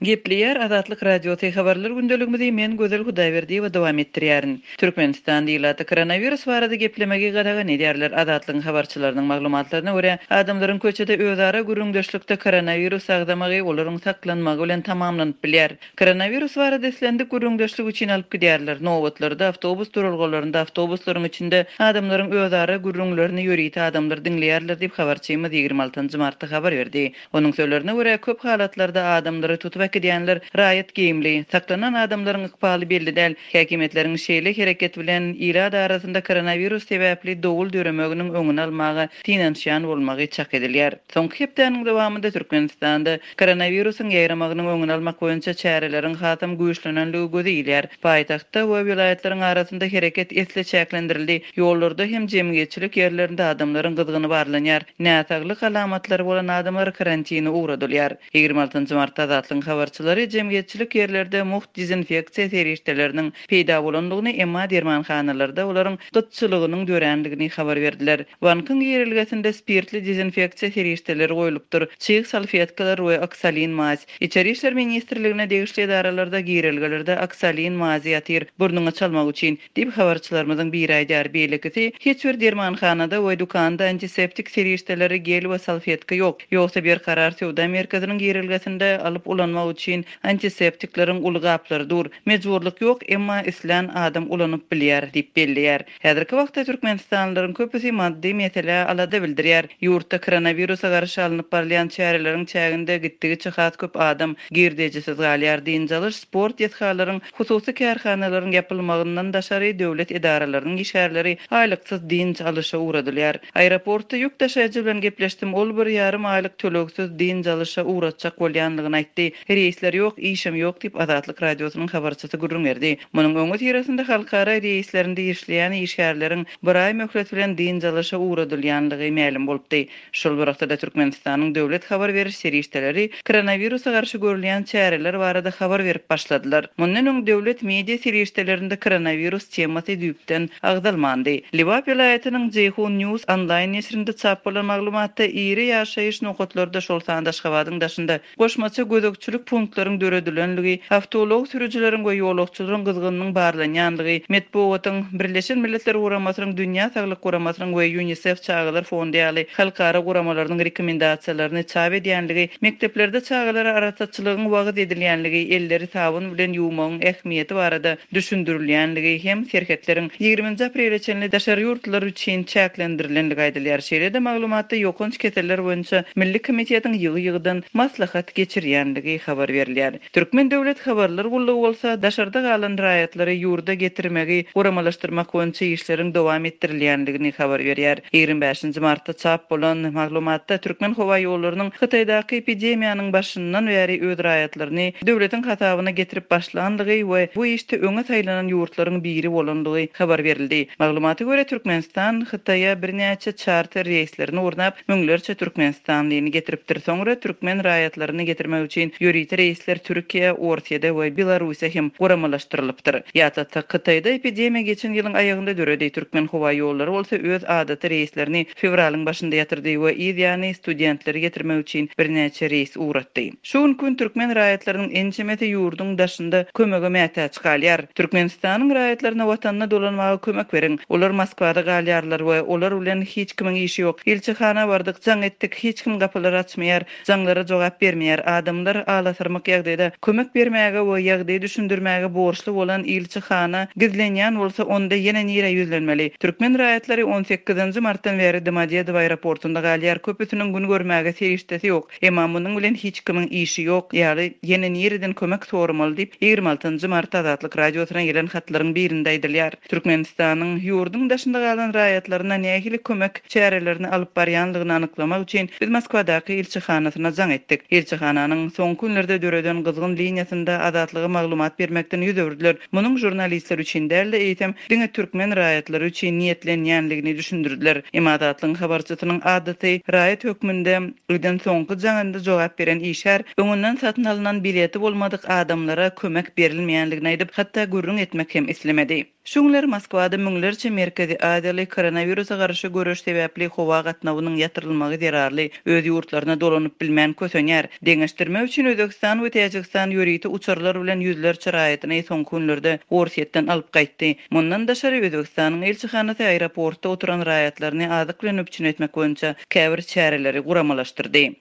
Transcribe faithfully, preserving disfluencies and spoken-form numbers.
Gepleýär Azatlyk Radiosy habarlar gündeligimizi men Gözel Hudaýberdiýewa dowam etdirýärin. Türkmenistan ilaty koronawirus barada geplemegi gadagan edýärler. Azatlygyň habarçylarynyň maglumatlaryna görä, adamlaryň köçede özara gürrüňdeşlikde koronawirus agzamagy olaryň saklanmagy bilen tamamlanyp bilýär. Koronawirus barada islendik gürrüňdeşlik üçin alyp gidýärler. Nobatlarda, awtobus duralgalarynda, awtobuslaryň içinde adamlaryň özara gürrüňlerini ýörite adamlar diňleýärler diýip habarçymyz ýigrimi altynjy martda habar berdi. Onuň sözlerine görä, köp halatlarda adamlary tutup äkidýänler raýat geýimli, saklanan adamlaryň ykbaly belli däl. Häkimiýetleriň şeýle hereket bilen ilat arasynda koronawirus sebäpli dowul döremeginiň öňüni almaga synanyşýan bolmagy çak edilýär. Soňky hepdäniň dowamynda Türkmenistanda koronawirusyň ýaýramagynyň öňüni almak boýunça çäreleriň hasam güýçlenenligi göze ilýär. Paýtagtda we welaýatlaryň arasynda hereket esli çäklendirildi. Ýollarda hem jemgyýetçilik ýerlerinde adamlaryň gyzgyny barlanýar. Näsaglyk alamatlary bolan adamlar karantine ugradylýar. Ýigrimi altynjy martda Azatlygyň habarçylary jemgyýetçilik ýerlerde mugt dezinfeksiýa serişdeleriniň peýda bolandygyny, emma dermanhanalarda olaryň gytçylygynyň dörändigini habar berdiler. Bankyň girelgesinde spirtli dezinfeksiýa serişdeleri goýlupdyr. Çig salfetkalar we oksalin maz. Içeri işler ministrligine degişli edaralarda girelgelerde oksalin mazy ýatyr, burnuňa çalmak üçin diýip habarçylarymyzyň biri aýdar. Beýlekisi hiç bir dermanhanada we dükanda antiseptik serişdeleri gel we salfetka ýok. Ýogsa bir karar söwda merkeziniň girelgesinde alyp ulanmak üçin antiseptikleriň uly gaplary dur. Mejburlyk ýok, emma islän adam ulanyp bilýär diýip belleýär. Häzirki wagtda Türkmenistanlylaryň köpüsi maddy mesele alada bildirýär. Ýurtda koronawirusa garşy alnyp barylýan çäreleriň çäginde gitdigiçe has köp adam girdejisiz galýar. Dynç alyş, sport desgalaryň, hususy kärhanalaryň ýapylmagyndan daşary döwlet edaralarynyň işgärleri aýlyksyz dynç alyşa ugradylýar. Aeroportda ýük daşaýjy bilen gepleşdim. Ol bir ýarym aýlyk tölegsiz dynç alyşa ugratjak bolýanlygyny aýtdy. Reýsler ýok, işim ýok diýip Azatlyk Radiosynyň habarçysy gürrüň berdi. Munuň öňi syrasynda halkara reýslerinde işleýän işgärleriň bir aý möhlet bilen dynç alyşa ugradylýanlygy mälim bolupdy. Şol bir wagtda Türkmenistanyň döwlet habar beriş serişdeleri koronawirusa garşy görülýän çäreler barada habar berip başladylar. Mundan öň döwlet media serişdelerinde koronawirus temasy düýpden agzalmandy. Lebap welaýatynyň Ceyhun News onlaýn neşirinde çap bolan maglumatda iri ýaşaýyş nokatlarda şol sanda Aşgabadyň daşynda goşmaça gözegçilik punktlaryň döredilenligi, awtoulag sürüjileriň we ýolagçylaryň gyzgynynyň barlanýanlygy, metbugatyň Birleşen Milletler Guramasynyň Dünýä Saglyk Guramasynyň we UNICEF Çagalar Fondy ýaly halkara guramalarynyň rekomendasiýalaryny çap edýänligi, mekdeplerde çagalara arassaçylygyň wagyz edilýänligi, elleri sabyn bilen ýuwmagyň ähmiýeti barada düşündirilýänligi hem serhetleriň ýigriminji aprele çenli daşary ýurtlar üçin çäklendirilenligi aýdylýar. Şeýle-de maglumatda ýokanç keseller boýunça Milli komitetiň ýygy-ýygydan maslahat geçirýänligi habar berilýär. Türkmen döwlet habarlar gullugy bolsa daşarda galan raýatlary ýurda getirmegi guramalaşdyrmak boýunça işleriň dowam etdirilýänligini habar berýär. Ýigrimi bäşinji martda çap bolan maglumatda Türkmen howa ýollarynyň Hytaýdaky epidemiýanyň başyndan bäri öz raýatlaryny döwletiň hasabyna getirip başlanlygy we bu işde öňe saýlanan ýurtlaryň biri bolanlygy habar berildi. Maglumata görä Türkmenistan Hytaýa birnäçe charter reýslerini gurnap, müňlerçe Türkmenistanlyny getiripdir. Soňra türkmen raýatlaryny getirmek üçin ýörite reýsler Türkiýe, Orsiýada we Belarusýa hem guramalaşdyrylypdyr. Ýatlatsak, Hytaýda epidemiýa geçen ýylyň aýagynda döredi. Türkmen howa ýollary bolsa öz adaty reýslerini fewralyň başynda ýatyrdy we yz ýany studentleri getirmek üçin birnäçe reýs ugratdy. Şu gün türkmen raýatlarynyň ençemesi ýurduň daşynda kömege mätäç galýar. Türkmenistanyň raýatlaryna watanyna dolanmaga kömek beriň. Olar Moskwada galýarlar we olar bilen hiç kimiň işi ýok. Ilçihana bardyk, jaň etdik, hiç kim gapylary açmaýar, jaňlara jogap bermeýär. Adamlar alasarmak ýagdaýda kömek bermäge we ýagdaýy düşündirmäge borçly bolan ilçihana gizlenýän bolsa onda ýene nirä ýüzlenmeli. Türkmen raýatlary on sekizinji martdan bäri Domodedowo aeroportunda galýar. Köpüsiniň gün görmäge serişdesi ýok. Emma munuň bilen hiç kimiň işi ýok. Ýaly ýene nireden kömek soramaly diýip ýigrimi altynjy mart Azatlyk Radiosyna gelen hatlaryň birinde aýdylýar. Türkmenistanyň ýurduň daşynda galan raýatlaryna nähili kömek çärelerini alyp barýanlygyny anyklamak üçin biz Moskwadaky ilçihanasyna jaň etdik. Ilçihananyň soňky günlerde döreden gyzgyn liniýasynda Azatlyga maglumat bermekden ýüz öwürdiler. Munuň jurnalistler üçin däl-de eýsem diňe türkmen raýatlary üçin niýetlenýänligini düşündirdiler. Emma Azatlygyň habarçysynyň adaty raýat hökmünde eden soňky jaňynda jogap beren işgär öňünden satyn alynan bileti bolmadyk adamlara kömek berilmeýänligini aýdyp, hatda gürrüň etmek hem islemedi. Şu günler Moskwada müňlerçe Merkezi Aziýaly koronawirusa garşy göreş sebäpli howa gatnawynyň ýatyrylmagy zerarly öz ýurtlaryna dolanyp bilmän kösenýär. Deňeşdirmek üçin Özbegistan we Täjigistan ýörite uçarlar bilen ýüzlerçe raýatyny soňky günlerde Orsýetden alyp gaýtdy. Mundan daşary Özbegistanyň ilçihanasy aeroportda oturan raýatlaryny azyk bilen üpjün etmek boýunça käbir çäreleri guramalaşdyrdy.